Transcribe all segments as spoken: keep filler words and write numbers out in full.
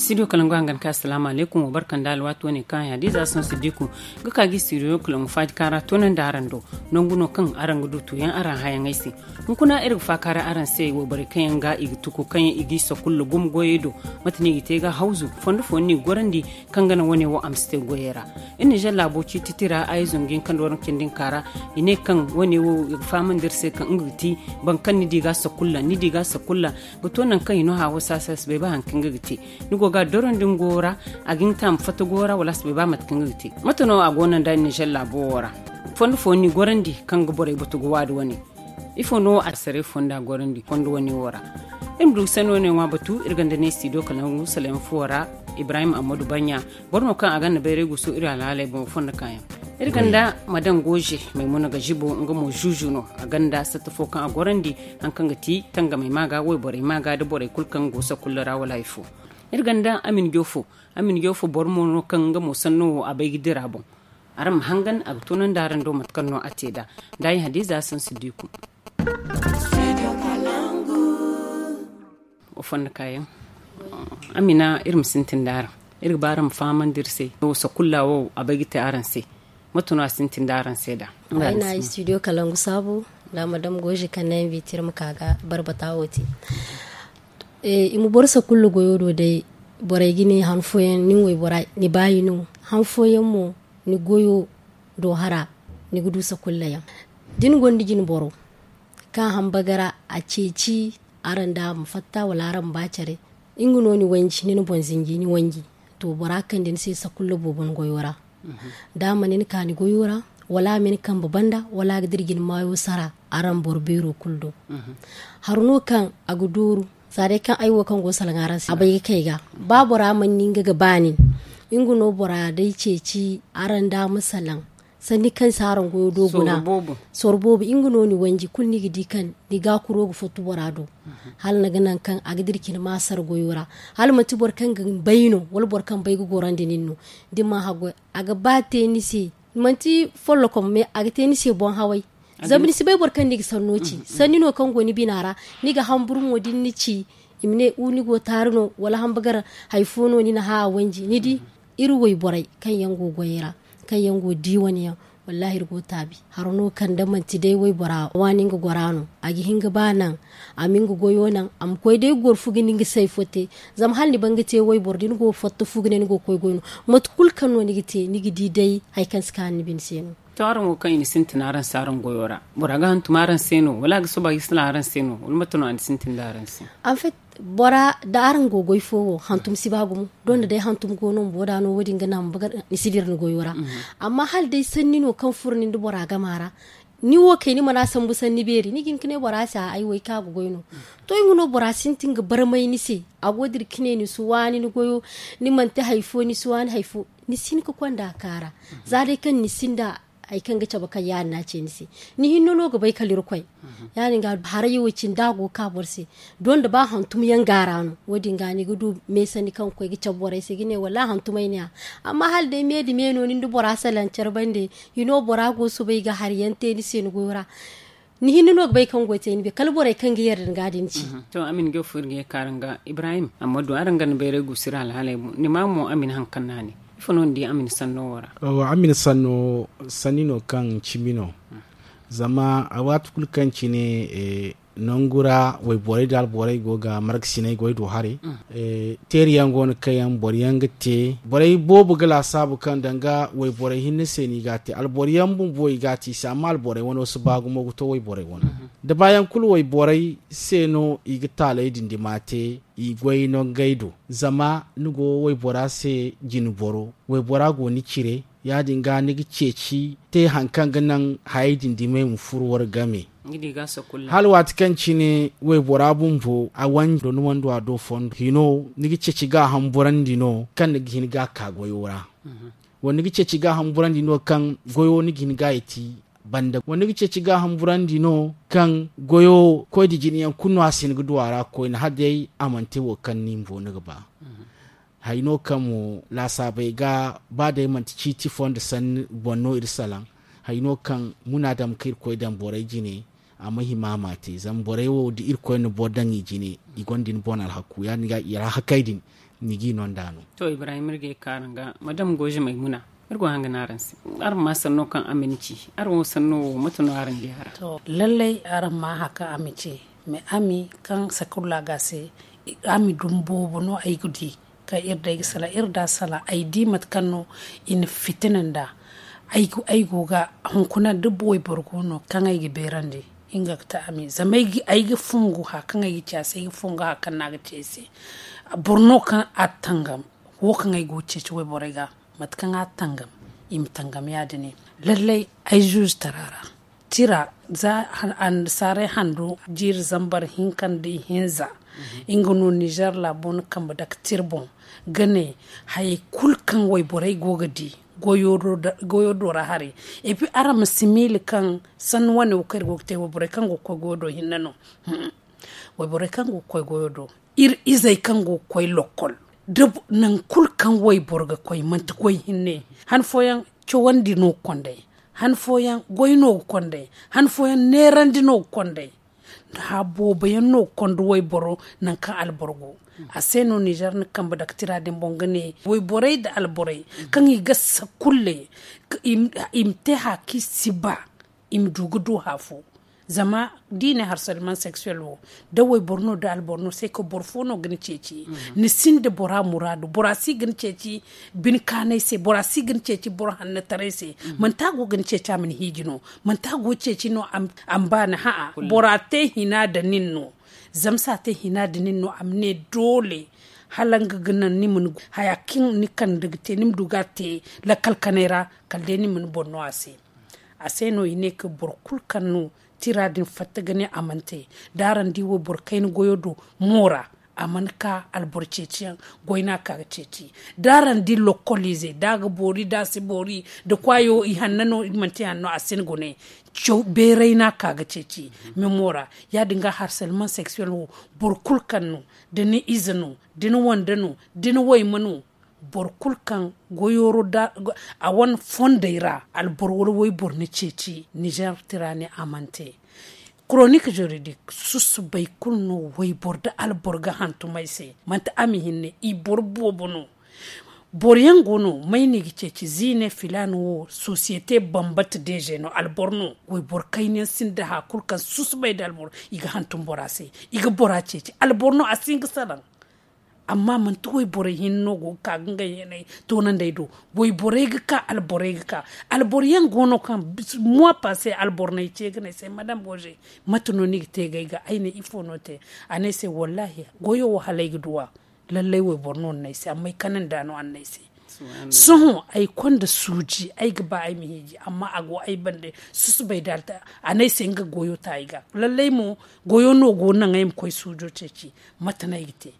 Studio kalangu hangan ka asalaamu alaykum, wa barka nda alwaati wane kaŋ haya da ize a sansu diku ga ka ga studio kalangu faaji kaara toonandi araŋ do. Nangu no kaŋ araŋ ga du tuyaŋ araŋ hayaŋey se. Hunkuna iri ga faakaara araŋ se wayborey kaŋ yaŋ ga i ga tuku kaŋ yaŋ i ga i sakulla gumo goyey do. Mate no i ga te ga hawzu fondo fo ni gorandi kaŋ ga naŋ wane wo a ma si te goyey ra. Iri nizer laabo ciititi ra ay zungu yaŋ kaŋ da waraŋ cindi nka ra, i ne kaŋ wane wo i ga fahamandi iri se kaŋ nga ga ti boro kaŋ ni di ga sakulla ni di ga sakulla ga to nangu kaŋ i no haawo saasa si bay ba hari kaŋ nga ga te. Ni go ga a dorandi nga goyo ra, a ga hin ga te a ma fatta goyo ra wala a si bay ba mate kaŋ nga ga te. Mate no a go no nda nizer laabo wo ra? Fondo fo ni gorandi kaŋ ga borey batu ga waadi wane. Ifo no asaray fonda gorandi fondo wane wo ra? Iri ma du ga sanni wane ŋwa batu iri ganda ne studio kalangu salayaŋ fuwo ra. Ibrahim ammadu banya, boro no kaŋ a ganda bayray gusu iri alhaaley boŋ fondo kaayaŋ. Iri ganda madam goje maymuna ga jibo nga mo zuzu no. A ganda satta fo kaŋ a gorandi hari kaŋ ga ti tangamey ma ga wayborey ma ga da borey kulu kaŋ go sakulla ra wala hari fo. Iri ganda amin jofo. Amin jofo boro mo no kaŋ nga mo sanno wo a bay ga dira boŋ. Araŋ ma hangan a ga toonandi araŋ do mate kaŋ no a te nd'a. Ndaayi hadiza sansu diku. Wa fonda kaayaŋ. Amina iri ma sintin da araŋ. Iri ga ba araŋ ma fahamandi iri se wo sakulla wo a bay ga te araŋ se. Mate no a sintin da araŋ se nd'a? Ay na studio kalangu saabu nda madam goje kaŋ na invite iri ma ka ga barbata wo te. I ma boro sakulla goyo do day. Borey ga ne han fooyaŋ nin waybora ni baayi no. Han fooyaŋ mo ni goyo do hara ni ga du sakulla yaŋ. Da ni gonda jine boro kaŋ hamba ga ra a ceeci araŋ da a ma fatta wala araŋ ma ba care, nga no ni wanji ni na boŋ zinji ni wanji. To bora kaŋ da ni se sakulla boobo ni goyo ra da a mana ni ka ni goyo ra wala a ma ni kambe banda wala a ga dira jine maayo sara araŋ boro beero kulu do. Hari no kaŋ a ga dooru. Za day kaŋ ay wo kaŋ go ga salaŋ araŋ se a bay ga kay ga ba bora mana ni nga ga ba nin. Nga no bora day ceeci araŋ da a ma salaŋ sanni kaŋ si araŋ goyo do guna. Soro boobo nga no ni wanji kulu ni ga di kaŋ ni gaakuro ga fottu bora do. Hala ni ga naŋ kaŋ a ga dira cine ma sara goyo ra. Hala manti boro kaŋ ga bay no wala boro kaŋ bay ga gorandi nin no. Da ni mana haggoy a ga ba te ni se. Manti follokom mais a ga te ni se boŋ haway. Zama ni si bay boro kaŋ ni ga sanno ci sanni no kaŋ go ni bina ra. Ni ga hamburu mo da ni na ci i ma ne wu ni go taari no wala hamba gar hari fo no ni na hã a wanji ni di. Iri wayborey kaŋ yaŋ go goyey ra kaŋ yaŋ go di wane yaŋ. Wallahi iri go taabi. Haro no kaŋ da manti day waybora waani nga gora no a ga hin ga ba naŋ a ma nga goyo naŋ a ma koy day goro fu ga ni nga say fo te. Zama hala ni ban ga te wayboro da ni go fatta fu ga ne ni go ga koy goy no. Mate kulu kaŋ no ni ga te ni ga di day hari kaŋ si kaanu ni bine se no. To araŋ wo kaŋ i na sintin araŋ se araŋ goyo ra bora ga hantum araŋ se no wala a ga soba ga salaŋ araŋ se no wala mate no a na sintin da araŋ se? Anfet bora da araŋ go goy fo wo hantum si ba gumo. Donda day hantum go no bumbo da no wo- din ga naŋ ma bagar ni si dira ni goyo ra. Amma hala day sanni no kaŋ furo nin da bora gama ra ni wo kay ni mana sambu sanni beeri ni ga hin ga ne bora se a ay wo ay kaŋ a ga goy no. To nga no bora sintin ga barmay ni se a go dira ga ne ni si waani ni goyo. Ni manti hari fo ni si waani hari fo ni si hin ga konda kaara. Za day kaŋ ni sinda hari kaŋ ga cabe kaŋ ya- din no a ce ni se. Ni hinne no ga bay kala irkoy. Ya- din ga haray wo cine da a go ga ka boro se. Donda ba hantum yaŋ gaara no wo- din ga ni ga du meesanni kaŋ ga koy ga cabe borey se ga ne wallaahi hantumay ne- ya. Amma hala day me nda me no ni nda bora salaŋ care bande hino bora go soobay ga hari yaŋ te ni se ni goyo ra. Ni hinne no ga bay kaŋ go ga te ni be kala borey kaŋ ga yarda ni ga din ci. To amin ga furo ga ye kaara nga ibrahim amma du araŋ ga ni bayray guusu iri alhaaley boŋ ni ma mo amin hari kaŋ no a ne? Ifo no ni di amin sanno wo ra? Amin sanno sanni no kaŋ cimi no. Zama a waati kulu kaŋ cine nangu ra wayborey da alborey go ga markasiney goy do haray. Teeri yaŋ go no kaŋ yaŋ boro yaŋ ga te borey boobo ga laasaabu kaŋ danga wayborey hinne se no i ga a te alboro yaŋ bumbo i ga a te i se amma alborey wano si ba gumo ga to wayborey wano. Da baayaŋ kulu wayborey se no i ga taaley din dima te i goy no ngey do. Zama ni go waybora se jine boro waybora go ni cire ya- din ga ni ga ceeci te hari kaŋ ga naŋ hayey din dimey ma furo wara game. Hala waati kaŋ cine waybora bumbo a wanjo ni wando a do fondo hino ni ga ceeci ga a hamburandi no kaŋ ni ga hin ga a ka goyo ra. Wala ni ga ceeci ga a hamburandi no kaŋ goyo ni ga hin ga a yeti banda wala ni ga ceeci ga a hamburandi no kaŋ goyo koy da jine yaŋ kulu no a si hin ga du a ra koyne hala day a mana te wo kaŋ ni bumbo ni ga ba. Hari no kaŋ mo laasaabey ga ba day manti ciiti fo nda sanni boŋ no iri salaŋ. Hari no kaŋ munaadam kaŋ irkoy daŋ borey jine a ma hima a ma a te zama borey wo da irkoy na boro daŋ i jine i gonda ni boŋ alhaku ya- din ga i ra hakey din. ni g'i no nd'a no. To ibrahim iri ga ye ka araŋ ga madam goje maymuna. Iri go hanga no araŋ se araŋ ma sanno kaŋ a ma ni ci. Araŋ wo sanno wo mate no araŋ di a ra? To lallay araŋ ma hã kaŋ a ma ci. Mais a mi kaŋ sakulla ga se a mi dum boobo no ay ga di. Kaŋ iri day ga salaŋ iri da salaŋ ay di mate kaŋ no i na fitina nd'a. Ay go ga hunkuna da wayboro go no kaŋ ay ga beerandi. Nga ga te a mi zama ay ga fungu hã kaŋ ay ga ci a se ay ga fungu hã kaŋ no a ga ci ay se. Boro no kaŋ a tangam wo kaŋ ay go ga ceeci wayborey ga mate kaŋ a tangam i ma tangam ya- din. Lallay ay zuuzu tara ra tira za annasaarey handu jiiri zambar hinka nda ihinza. Nga no nizer laabo na kambe dake tira boŋ ga ne hayey kulu kaŋ wayborey go ga di goyo do ra haray. Epi araŋ ma si miila kaŋ sanni wane wo kaŋ iri go ga te wayborey kaŋ go ga koy goyo do hinne no. Wayborey kaŋ go ga koy goyo do iri izey kaŋ go ga koy lokkol da nangu kulu kaŋ wayboro ga koy manti goy hinne. Han fooyaŋ cawandi no ga konday. Han fooyaŋ goy no ga konday. Han fooyaŋ neerandi no ga konday. Hã boobo yaŋ no ga konda wayboro nangu kaŋ alboro go. A se no nizer na kambe dake tira din boŋ ga ne wayborey nda alborey kaŋ i ga sakulley i ma te hã kaŋ i si ba i ma du ga du hã fo. Zama da i ne harselman seksuwel wo da wayboro no da alboro no se ka boro fo no ga ni ceeci. Ni sinda bora muraadu bora si ga ni ceeci. Bine kaanay se bora si ga ni ceeci boro hannataray se. Manti a go ga ni ceeci a ma ni hiiji no? Manti a go ga ceeci no a ma ba ni hã'a bora te hina nda nin no? Zama se a te hina nda nin no a ma ne doole hala nga ga naŋ ni ma ni haya kaŋ ni kande ga te ni ma du ga a te lakkal kanay ra kala day ni ma ni boŋ no a se. A se no i ne ka boro kulu kaŋ no tira din fatta ga ne a mana te. Da araŋ di wayboro kayna goyo do moora a mana ka alboro ceeciyaŋ. Goy no a ka ga ceeci da araŋ di lokkoliize da a ga boori da a si boori da kwaayo i hanna no i manti hanno a si ni gune. Beeray no a ka ga ceeci. Memoora ya- din ga harselman seksuwel wo boro kulu kaŋ no da ni ize no da ni wande no da ni wayma no. Boro kulu kaŋ goyoro da a wane fondey ra alboro wala wayboro ni ceeci nizer tira ne a mana te. Koronik juridik susubay kulu no wayboro da alboro ga hantum ay se. Manti a ma hinne i boro boobo no. Boro yaŋ go no may no i ga ceeci ziine filaana wo sosiyete bambata deeze no alboro no. Wayboro kayna yaŋ sinda hã kulu kaŋ susubay nda alboro i ga hantum bora se. I ga bora ceeci alboro no a si hin ga salaŋ. Amma manti wayborey hinne no go ga ka ga ngey hinay toonandi ay do. Wayborey ga ka alborey ga ka alboro yaŋ go no kaŋ mois passe alboro no ay ce ga ne ay se madam goze mate no ni ga te ga ay ga ay ne ifo no te? A ne ay se wallaahi goyo wo hala ay ga du a. Lallay wayboro no ni ne ay se amma ay kanandi a no a na ne ay se. Sohõ ay konda suuji ay ga ba ay ma hiiji amma a go ay bande. Susubay da a ne ay se nga goyo ta ay ga lallay mo goyo no go naŋ ay ma koy suujo ceeci. Mate no ay ga te?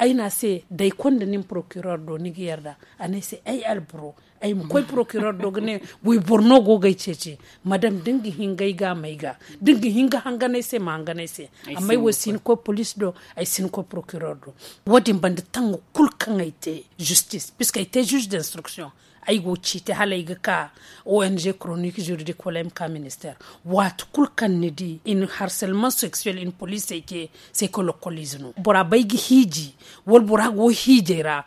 Ay ne a se da ay konda nin porokiror do ni ga yarda? A ne ay se ay alboro ay ma koy porokiror do ga ne wayboro no go ga ay ceeci. Madam da ni ga hin ga ay ga a ma ay ga da ni ga hin ga hangan ay se ma hangan ay se. Amma ay wo ay si ni koy police do ay si ni koy porokiror do. Wo- din banda tanga kulu kaŋ ay te justice puisque ay te juge d'instruction. Ay go ga ciiti hala ay ga ka ong koronik juridik wala ay ma ka minister. Waati kulu kaŋ ni di i na harselman seksuwel i na poliisey te se ka lokkoliize no bora bay ga hiiji wala bora go hiijay ra.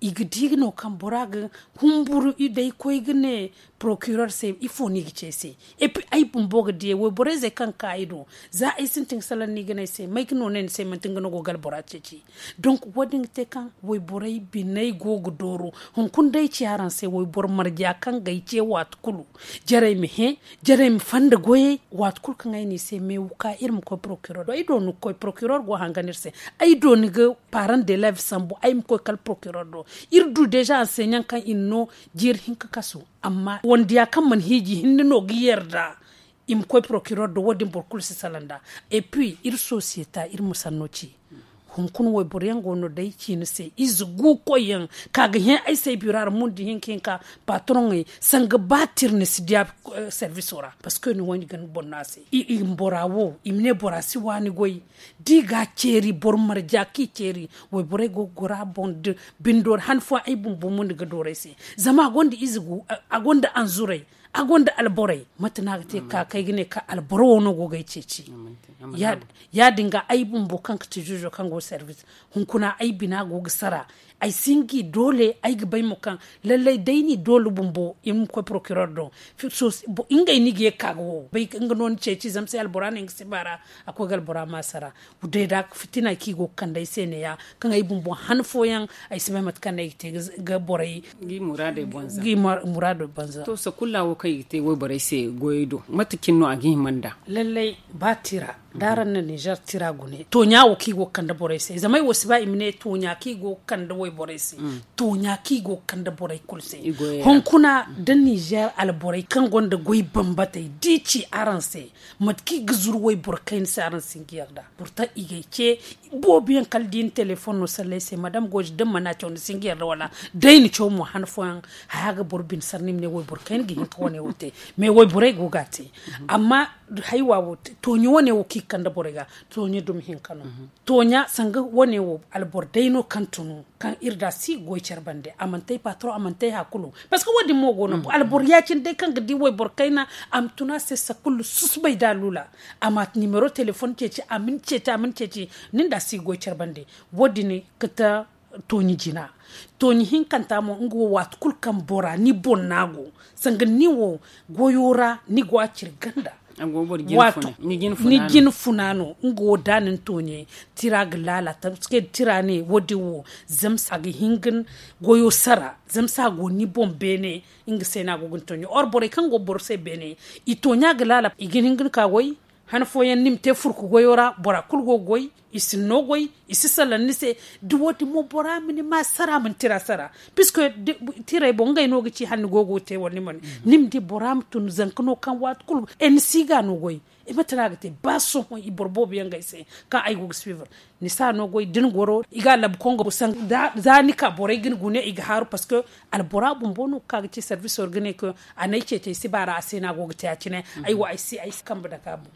I ga di no kaŋ bora ga humburu i day koy ga ne porokiror se ifo no i ga ci ay se? Epi ay bumbo ga diyay wayborey zey kaŋ ga ka ay do za ay sintin ga salaŋ no i ga ne ay se may ga no ne ni se manti nga no go ga albora ceeci. Donk wo- din ga te kaŋ wayborey biney go ga dooro. Hunkuna day ci araŋ se wayboro marja kaŋ ga ay ce waati kulu jarey ma hẽ jarey ma fanda goyey. Waati kulu kaŋ ay ne i se meewu ka iri ma koy porokiror do ay do ni ga koy porokiror go hangan iri se. Ay do ni ga paran de lev sambu ay ma koy kala porokiror do. Iri du deeza anseɲaŋ kaŋ i na no jiiri hinka kasu. Amma wandiya kaŋ mana hiiji hinne no ga yarda i ma koy porokiror do wo- din boro kulu si salaŋ nd'a. Epi iri sosiyeta iri ma sanno ci. Hunkuna wayboro yaŋ go no day ciine se ize gu koy yaŋ ka ga hẽ ay se ay biro a ra mundi hinka hinka. Patroŋey sanga ba tir ni si diya serviso ra parceque ni wanji ga ni boŋ no a se. I ma bora wo i ma ne bora si waani goy. Da i ga a ceeri boro marja kaŋ i ceeri wayborey go ga goro a boŋ da bindo ra han fooyaŋ ay bumbo mundi ga dooru ay se. Zama a gonda ize gu a gonda anzurey. A gonda alborey. Mate no a ga te ka kay ga ne ka alboro wo no go ga ay ceeci. Ya- din ga ay bumbo kaŋ ga ti juujo kaŋ go service, hunkuna ay bina go ga sara. Ay si nga i doole ay ga bay mo kaŋ lallay day ni doole bumbo i ma koy procureur do. Ngey no i ga ye ga ka ga wo bay nga no ni ceeci zama se albora no nga si ba ra. A koy ga albora ma sara. Day da fitina kaŋ i go ga kande ay se ne- ya kaŋ ay bumbo han fooyaŋ ay si bay mate kaŋ no ay ga te ga borey ga i muraadey banza. To sakulla wo kaŋ i ga te wayborey se goyey do mate cine no a ga hima nd'a? Lallay ba tira da araŋ na nizer tira gune tooɲa wo kaŋ i go ga kande borey se zama ay wo si ba i ma ne tooɲa kaŋ i go ga kande wayborey se. Tooɲa kaŋ i go ga kande borey kulu se. Hunkuna da nizer alborey kaŋ gonda goy bambatey da i ci araŋ se mate kaŋ i ga zuru wayboro kayna se araŋ si hin ga yarda. Pourtant i ga ay ce boobo yaŋ kala da i na telefoŋ no sallay se madame goje da ni mana caw ni si hin ga yarda wala da i na caw mo han fooyaŋ. Haya ga boro bine sara ni ma ne wayboro kayna ga hin ka wane wo te. Mais wayborey go ga a te. Amma haywa wo tooɲa wane wo kaŋ i ga kande borey ga tooɲa dumi hinka no. Tooɲa sanga wane wo alboro day no kaŋ tunu kaŋ iri da si goy care bande a mana te ay patron a mana te ay hakulu. Parce que wo- din mo go no alboro ya- cine day kaŋ ga di wayboro kayna a ma tuna se sakulu susubay da a lula. A ma nimero telefoŋ ceeci a ma ni ceeci a ma ni ceeci. Nin da si goy care bande wo- din ga ta tooɲi jina. Tooɲi hinkanta mo nga wo waati kulu kaŋ bora ni boŋ no a go sanga ni wo goyo ra ni go a ciri ganda. Ni jin funa no nga wo da ni na tooɲe tira ga laala tamske da tira ne wo- din wo zama se a ga hin ga ni goyo sara zama se a go ni boŋ beene. Nga se no a go ga ni tooɲe or borey kaŋ go boro se beene i tooɲa ga laala i ga hin ga ni ka goy. Han fooyaŋ ni ma te furku goyo ra bora kulu go ga goy i si ni no goy i si salaŋ ni se. Da wo- din mo bora ma ni ma sara ma ni tira sara puisque tirey boŋ ngey no ga ci hala ni go ga wo te wala ni mana ni ma di bora ma tun zanka no kaŋ waati kulu. Ni si ga no goy. Mate no a ga te ba sohõ i boro boobo yaŋ ga ay se kaŋ ay go ga suivre. Ni si a no goy da ni goro i ga a labu kongo za ni ka borey ga ni gune i ga haaru parce que albora bumbo no ga ka ga ci service wara ga ne kaŋ a n'ay ceeci ay si ba ra a se no a go ga te ya- cine. Ay wo ay si ay si kambe dake a boŋ.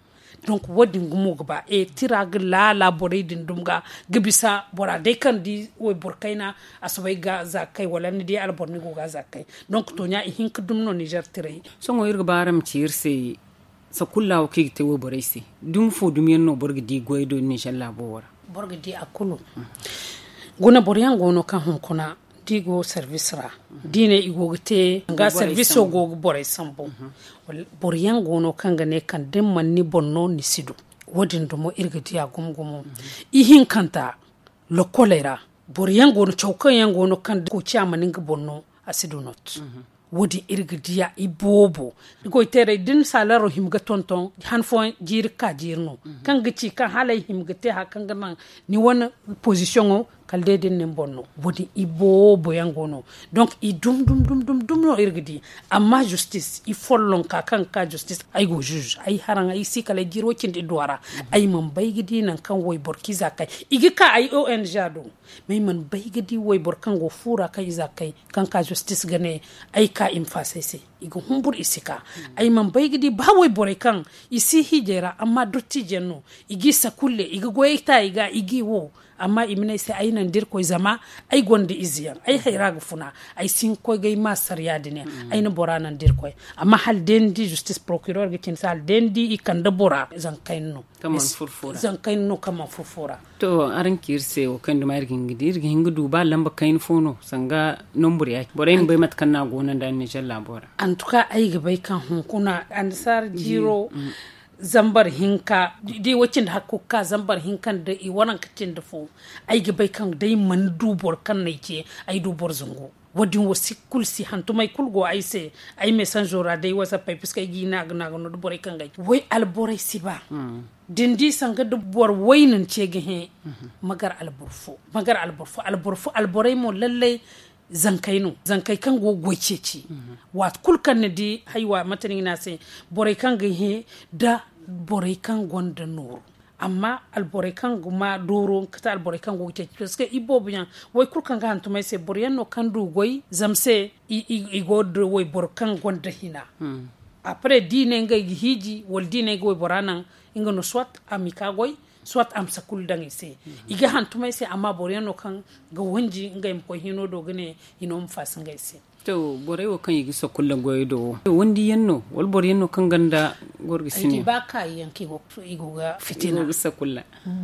Donc wo- din gumo ga ba tira ga laala borey din dumi ga ga bisa bora day kaŋ di wayboro kayna a soobay ga za ga kay wala ni di alboro ni go ga za ga kay. Donc tooɲa i hin ga dumi no nizer tirey. Sohõ iri ga ba araŋ ma ci iri se sakulla wo kaŋ i ga te wayborey se dumi fo dumi yaŋ no boro ga di goyey do nizer laabo wo ra? Boro ga di a kulu. Guna boro yaŋ go no kaŋ hunkuna da i go service ra da i ne i go ga te nga service wo go ga borey sambu. Boro yaŋ go no kaŋ ga ne kaŋ da ni mana ni boŋ no ni si du. Wo- din dumo iri ga di a gumo gumo. Ihinkanta lokoley ra boro yaŋ go no caw kaŋ yaŋ go no kaŋ da kooci a mana nga boŋ no a si du not. Wo- din iri ga di a iboobo. Goyteerey da ni saalaro hima ga tonton han fooyaŋ jiiri ga ka jiiri no kaŋ ga ci kaŋ hala ay hima ga te hari kaŋ ga naŋ ni wane pozisiyoŋo kala day da ni na ni boŋ no. Wo- din iboobo yaŋ go no. Donc i dum dum dum no iri ga di. Amma justis i follonka kaŋ ga ka justis ay go juge ay haraŋ ay si kala ay jiiro cindi idduwa ra. Ay mana bay ga di nangu kaŋ wayboro kaŋ i za ga kay i ga ka ay ong do. Mais ay mana bay ga di wayboro kaŋ go fu ra kaŋ i za ga kay kaŋ ka justis ga ne ay ka i ma faasa ay se. I ga humbur i si ka. Ay mana bay ga di ba wayborey kaŋ i si hiijay ra amma dottiijo yaŋ no. I g'i sakulle i ga goyey ta i ga i g'i wo. Amma i ma ne ay se ay naŋ da irkoy zama ay gonda ize yaŋ ay hayra ga funa. Ay si hin ga koy ga ay ma sara ya- din yaŋ. Ay na bora naŋ da irkoy. Amma hala day ni di justis procureur ga cine se hala day ni di i kande bora zanka kayna no. Zanka kayna no kaŋ mana furo fo ra. To araŋ ci iri se wo kaŋ duma iri ga hin ga di iri ga hin ga du ba lamba kayna fo no sanga nombur ya- cine borey ma bay mate kaŋ no a go no nda nizer laabo ra. Antuka ay ga bay kaŋ hunkuna annasaara jiiro zambar hinka da i wo cindi hakku ga ka zambar hinka nda i waranka cindi fo. Ay ga bay kaŋ da ay mana du boro kaŋ no ay ce ay du boro zangu. Wo- din wo si kulu si hantumay kulu go ay se. Ay mesanzo ra day wasappey puska ay g'i naaga naaga no da borey kaŋ ga ay way alborey si ba. Da ni di sanga da boro way no ni ce ga hẽ. Magar alboro fo magar alboro fo alboro fo alborey mo lallay. Zankey no zankey kaŋ go ga goy ceeci. Waati kulu kaŋ ni di haywa mate no i ga ne a se borey kaŋ ga hẽ da borey kaŋ gonda nooru. Amma alborey kaŋ ga ma dooro nga kate alborey kaŋ go ga ceeci parceque iboobo yaŋ way kulu kaŋ ga hantumay se boro yaŋ no kaŋ du goy zama se i go da wayboro kaŋ gonda hina. Après da i ne ngey ga hiiji wala da i ne ga waybora naŋ nga no soit a ma i ka goy soit a ma sakulu daŋ i se. I ga hantumay se amma boro yaŋ no kaŋ ga wanji ngey ma koy hino do ga ne hino ma faasa ngey se. To, borey wo kaŋ i ga sakulla goyo do wo, wandi yaŋ no wala boro yaŋ no kaŋ ganda gorga sine? Ba kaayi yaŋ kaŋ i go ga fitina.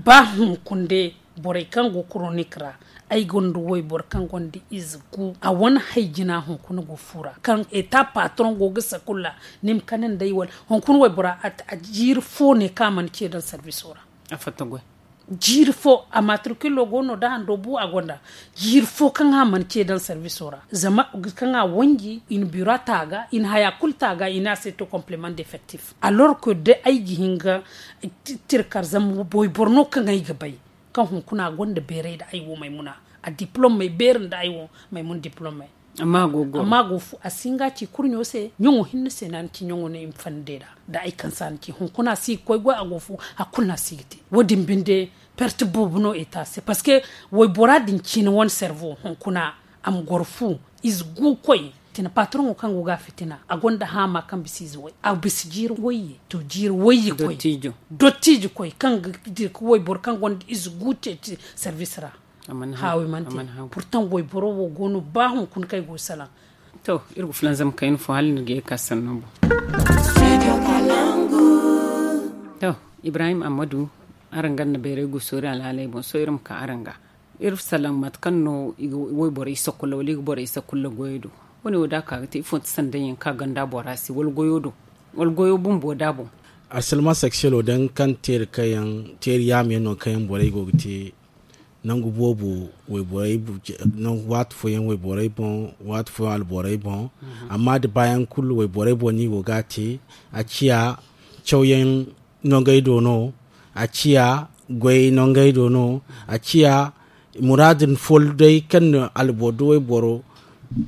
Ba hunkunde, borey kaŋ go koronik ra, ay gonda wayboro kaŋ gonda ize gu a wane hay jina hunkuna go fuura kaŋ eta patron go ga sakulla. Ni ma kane nd'ay wala hunkuna waybora a jiiri fo ne kaŋ a mana ce daŋ sarbiso ra. A fatta goy. Jiiri fo a matrikulo go no da hando bu a gonda. Jiiri fo kaŋ a mana ce daŋ sarbiso ra zama kaŋ a wanji i na biro a taaga i na haya kulu taaga i ne a se to complement defectif alors que da ay ga hin ga tirkar zama wayboro no kaŋ ay ga bay. Kaŋ hunkuna a gonda beeray nda ay wo maymuna a diplomey beeri nda ay wo maymuna diplomey. Amma a go fu a si hin ga a ci kurɲo se ɲaŋo hinne se no a na ci ɲaŋo no i ma fandey ra. Da ay kaŋ se a na ci hunkuna a si ga koy goy a go fu hari kulu no a si ga te. Wo- din binde perte boobo no eta se parceque waybora din ciine wane servo hunkuna a ma goro fu ize gu koy. Fitina patroŋo kaŋ go ga a fitina a gonda haama kaŋ bisa ize way a bisa jiiri wayye to jiiri wayye koy. Dottijo koy kaŋ ga dira ga wayboro kaŋ gonda ize gu ceeci service ra. Haawi mana te. Purtaŋ wayboro wo go no ba hunkuna kaŋ ay go ga salaŋ. To iri ga fulanzam kayna fo hala ni ga ye ga ka sanno boŋ. To ibrahim ammadu, araŋ ganda bayray gusoori alhaaley boŋ sohõ iri ma ka araŋ ga. Iri salaŋ mate kaŋ no i ga wayborey sakulla wala i ga borey sakulla goyo do? Wo- ne wo da a ka ga te ifo nte sanday yaŋ kaŋ a gonda a bora se wala goyo do wala goyo bumbo da boŋ. Harsalma seksuelo day nga kaŋ teeri kaŋ yaŋ teeri yaama yaŋ no kaŋ yaŋ borey go ga te. Nangu boobo wayborey waati fooyaŋ wayborey boŋ waati fooyaŋ alborey boŋ. Amma da baayaŋ kulu wayborey boŋ no i go ga a te. A ciya cawyaŋ nongey do no. A ciya goyey nongey do no. A ciya muraadu fo day kaŋ na alboro da wayboro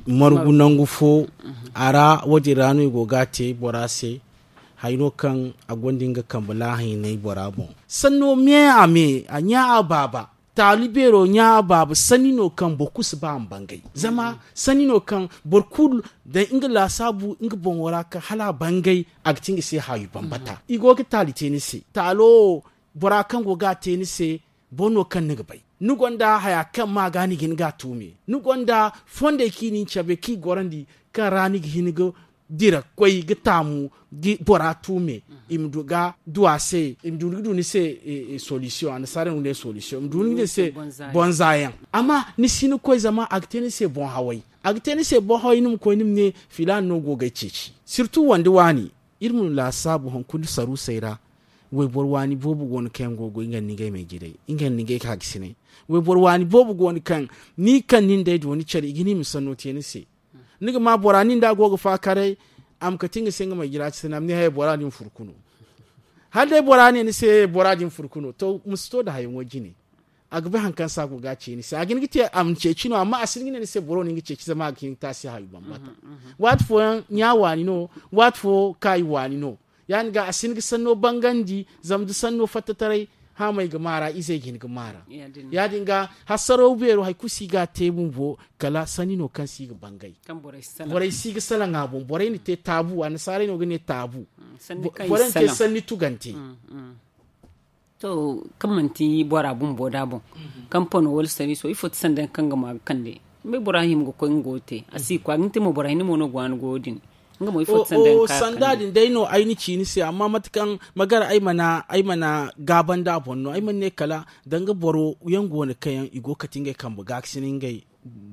margu nangu fo. A ra wo- din ra no i go ga a te bora se. Haya no kaŋ a gonda nga kambe laahaynay bora boŋ sanno me a me a ɲa a baaba. Taali beero ɲa a baaba sanni no kaŋ boro kulu si ba a ma bangay zama sanni no kaŋ boro kulu day nga laasaabu nga boŋo ra kaŋ hala a bangay. A ga ti nga se haawi bambata i go ga taali te ni se taalo wo bora kaŋ go ga a te ni se. Boro no kaŋ ni ga bay ni gonda haya kaŋ ma ga ni ga hin ga a tuume ni gonda fondey kaŋ i na ni cabe kaŋ i gorandi kaŋ ra ni ga hin ga dira ga koy ga taamu ga bora tuume. I ma du ga du a se i ma du ga du ni se solution annasaara no ga ne solution i ma du ga ne se bonza yaŋ. Amma ni si hin ga koy zama a ga te ni se boŋ haway. A ga te ni se boŋ haway ni ma koy ni ma ne filaana no go ga ay ceeci sirtu wande waani. Iri ma laasaabu hunkuna saruusey ra. Wayboro waani boobo go no kaŋ yaŋ go ga goy nga nda ngey me jiray nga nda ngey ka ga sinay. Wayboro waani boobo go no kaŋ ni kaŋ nin day do ni care i ga ne i ma sanno te ni se. Ni ga ma bora nin da a go ga faakaray a ma kate nga se nga ma jira ci se no a ma ne haya bora din furku no. Hala day bora ne ni se bora din furku no to ma si to nda hayaŋo jine. A ga bay hari kaŋ se a go ga a ce ni se a ga hin ga te a ma ceeci no amma a si hin ga ne ni se boro no ni ga ceeci zama a ga hin ga te a se hayo bambata. Waati fooyaŋ ɲa waani no. Waati fo kaayi waani no. Ya- din ga a si hin ga sanno bangandi zama da sanno fattataray haamey ga maara izey ga hin ga maara. Ya- din ga hasaraw beero hari kulu si ga a te bumbo kala sanni no kaŋ si ga bangay. Borey si ga salaŋ a boŋ borey na te taabu annasaarey no ga ne taabu. Borey na te sanni tugante. To kaŋ manti bora bumbo da boŋ kaŋ pano wala sariiso ifo ti sanda yaŋ kaŋ ga ma ga kande. Ni bay bora hima ga koy nga go ga te a si ga koy a ga ni te mo bora hinne mo no ga waani goyo din. Nga mo ifo ti sanda yaŋ kaŋ a ga kande. Sanda din day no ay na ci ni se amma mate kaŋ ma gar ay mana gaabandi a boŋ no ay mana ne kala danga boro yaŋ go no kaŋ yaŋ i go ga kate ngey kambe gaakasinay ngey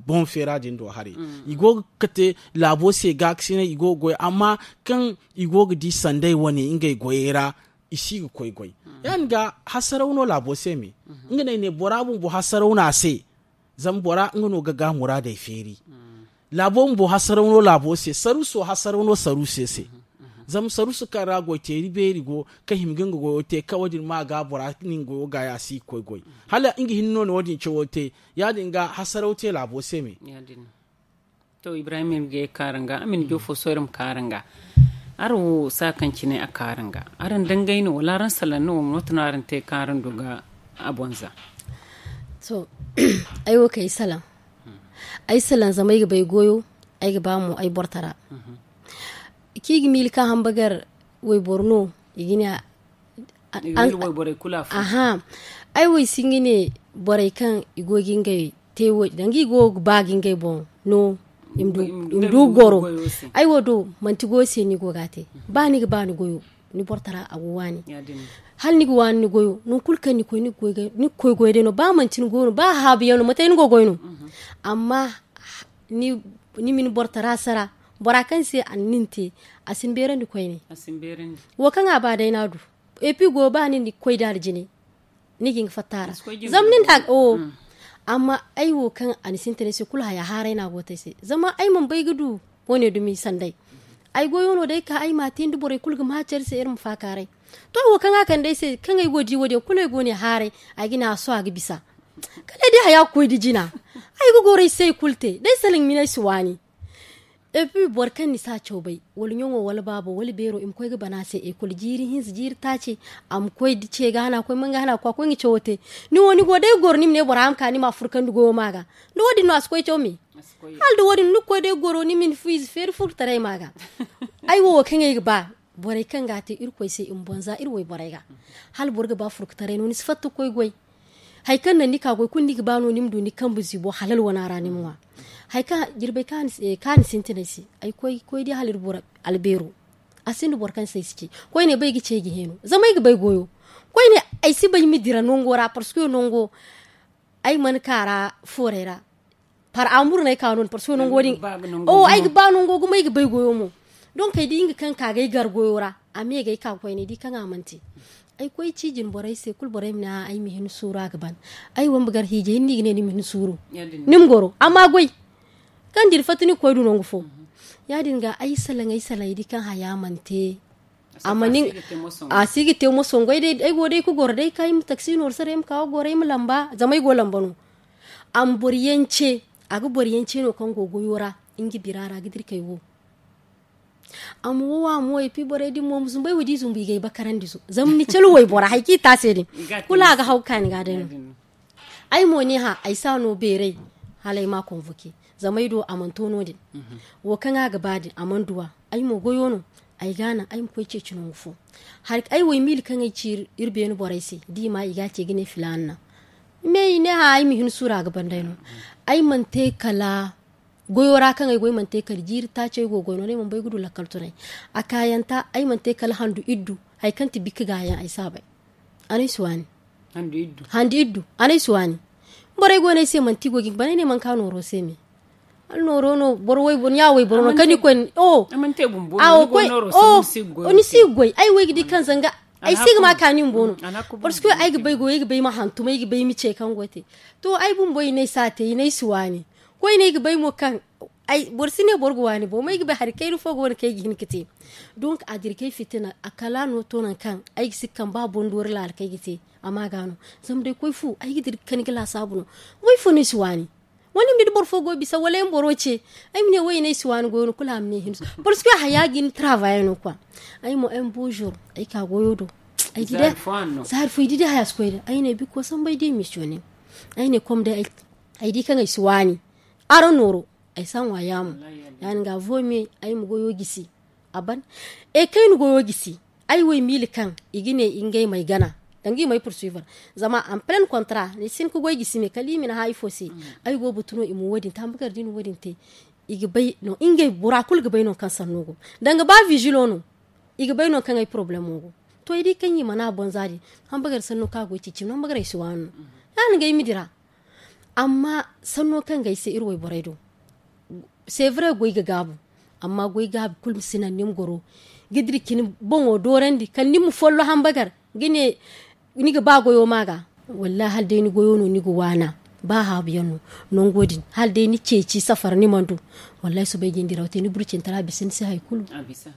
boŋ feera din do haray. I go ga kate laabo se gaakasinay i go ga goy amma kaŋ i go ga di sanday wane ngey goyey ra. I si ga koy goy ya- din ga hasaraw no laabo se me. Nga no ay ne bora bumbo hasaraw no a se. Zama bora nga no ga ga muraadey feeri. Laabo bumbo hasaraw no laabo se saruuso hasaraw no saruuse se. Zama saruuso kaŋ ra goy teeri beeri go kaŋ hima ga nga goyo te kaŋ wo- din ma ga bora nin goyo gaayi a si ga koy goy. Hala nga hinne no na wo- din cawo te. Ya- din ga hasaraw te laabo se me. To ibrahim iri ga ye ga ka araŋ ga a ma ni joofo sohõ iri ma ka araŋ ga. Araŋ wo saakaŋ cine a ka araŋ ga araŋ dangay no wala araŋ salaŋ no wala mate no araŋ te kaŋ araŋ du ga a bonza? To ay wo kay salaŋ. Ay salaŋ zama ay ga bay goyo. Ay ga ba mo ay bortara. Kaŋ i ga miila kaŋ hambagar wayboro no i ga ne. Aha. Ay wo ay si hin ga ne borey kaŋ i go ga ngey te wo- din danga i go ga ba ga ngey boŋ no. I ma du goro. Ay wo do manti goyo se ni go ga a te. Ba ni ga ba ni goyo, ni bortara a go waani. Hala ni ga waani ni goyo, nangu kulu kaŋ ni koy ni ga koy goyo day no, ba manti ni goyo no, ba haabu yaŋ no mate ni go goy no. Amma ni ma ni bortara sara, bora kaŋ se a na nin te, a si ni beerandi koyne. Wo kaŋ a ba day no a du. Epi goyo ba ni na koy da aljine, ni ga hin ga fatta a ra. Zama nin da o. Amma ay wo kaŋ a na sintinay se kulu haya haaray no a go te ay se zama ay mana bay ga du. Wo- ne dumi sanday. Ay goyo no day ka ay ma a te ni da borey kulu ga ma care se iri ma faakaaray. To wo kaŋ a kande ay se kaŋ ay go ga di wo- din kulu ay go ne haaray. Ay ga ne a sohõ a ga bisa. Kala ay di haya ga koy da jina. Ay ga goro ay se ay kulu te da ay salaŋ mina ay si waani. Epi boro kaŋ ni si a caw bay, wala ɲaŋo wala baabo wala beero i ma koy ga bana se ekol jiiri hinza jiiri taaci. A ma koy da ce ga hana koy manga hana ga koy a koy ga cawo te. Ni wo ni go day ga goro ni ma ne bora ma ka ni ma a furkandi goyo ma ga. Da wo- din no a si koy caw me. Hala da wo- din ni ga koy day ga goro ni ma ni fu ize feeri furkutaray ma ga. Ay wo wo kaŋ ay ga ba borey kaŋ ga a te irkoy se i ma boŋ za iri wayborey ga. Hala boro ga ba furkutaray no ni si fatta ga koy goy. Hari kaŋ naŋ ni ka goy kulu ni ga ba no ni ma du ni kambe ziibo halal wana ra ni ma ŋwa. Hari kaŋ jirbey kaŋ a na sintin ay se ay koy ga koy di hala iri boro albeero. A sinda boro kaŋ se ay si ci koyne ba ay ga ci ay ga heeno zama ay ga bay goyo. Koyne ay si bay ay ma dira nango ra parceque nango ay mana ka ra foorey ra. Par amur no ay ka no- din parceque nango din. Ay ga ba nango gumo ay ga bay goyo mo. Donk ay di nga kaŋ ka ga ay gar goyo ra a me ga ay ka ga koy ne di kaŋ a mana te. Ay koy ci jine borey se kulu borey ma ne a ay ma hin suuru a ga ban. Ay wamba gar hiijay hinne i ga ne ni ma hin suuru. Ni ma goro amma goy kaŋ da iri fatta ni ga koy du nangu fo. Ya- din ga ay salaŋ ay salaŋ ay di kaŋ haya mana te. A si ga te moso goy day ay go day ga goro day kaŋ ay ma taksi nooru sara ay ma ka ga goro ay ma lamba zama ay go lamba no. A ma boro yaŋ ce a ga boro yaŋ ce no kaŋ go goyo ra nga bira ra ga dira kay wo. A ma wo a ma wo epi borey din mo ma zumbu ay wo da i zumbu i ga ay bakarandi zo zama ni cala waybora hari kaŋ i te a se din. Kulu a ga haw ga kaani ga day no. Ay mo ne hã ay si a no beeray. Hala ay ma a konvoke zama ay do a mana to no- din. Wo kaŋ a ga ba din a mana duw'a. Ay mo goyo no. Ay ga a naŋ ay ma koy ceeci nangu fo. Hari ay wo ay miila kaŋ ay ci iri beene borey se da i ma i ga a ce ga ne filaana naŋ. Me i ne hã ay ma hin suuru a ga ban day no. Ay mana te kala goyo ra kaŋ ay go ay mana te kala jiiri taaci ay go goy no no ay mana bay ga du lakkal tunay. A kaayanta ay mana te kala handu iddu. Hari kaŋ ti bikka gaayaŋ ay si a bay. A no ay si waani. Handu iddu a no ay si waani. Borey go no ay se manti i go ga hin ga ban ay ne manka nooro se me. Hala nooro no boro wayboro ɲa wayboro no kaŋ ni koy. Ni si ga goy ay wo ay ga di kaŋ zanga ay si ga ma kaani bumbo no. Parceque ay ga bay goyo ay ga bay ma hantum ay ga bay ma ce kaŋ go te. To ay bumbo i ne ay si a te i ne ay si waani. Koyne ay ga bay mo kaŋ boro si ne boro ga waani bo ma ay ga bay hari kayna fo go no kaŋ ay ga hin ga te. Donk a dira kay fitina a kala no to nangu kaŋ ay ga si ga kaŋ ba boŋ doori laala kaŋ ay ga te. A ma ga no zama day koy fu ay ga dira ga kani ga laasaabu no. Way fo no ay si waani. Wala ni ma di boro fo go bisa wala ay ma boro ce. Ay ma ne way no ay si waani goyo no kulu a ma ne hinsu parceque haya ga ni travaya no kwa. Ay mo ay ma bozo ay ka goyo do. Ay di day zaari fo ay di day haya si koy day ay ne bikko sambay day misiyone. Ay ne kom day ay di kaŋ ay si waani. Araŋ nooro ay si a ŋwa yaamo. Ya- din ga vo me ay ma goyo gisi. A ban e kayna goyo gisi. Ay wo ay miila kaŋ i ga ne ngey ma ay gana danga i ma ay pursuivre. Zama en pleine contrat ni si hin ga goy gisi me kala i ma ni hã ifo se. Ay go ga batu no i ma wo- din te hambagar da i na wo- din te. I ga bay no ngey bora kulu ga bay no kaŋ sanno go danga ba vigilo no. I ga bay no kaŋ ay problemo go. To ay di kaŋ i mana boŋ za din. Hambagar sanno kaŋ a go ay ceeci no hambagar ay si waani no. Ya- din ga ay ma dira. Amma sanno kaŋ ga ay se iri wayborey do. C'est vrai goy ga gaabu. Amma goy gaabu kulu ma si naŋ ni ma goro ga dira cine boŋo doorandi kala ni ma follo hambagar ga ne ni ga ba goyo ma ga. Wallahi hala day ni goyo no ni ga waana. Ba haabu yaŋ no nango din hala day ni ceeci safar ni mana du. Wallahi soobay ga ni diraw te ni burcintara bisa ni se hari kulu.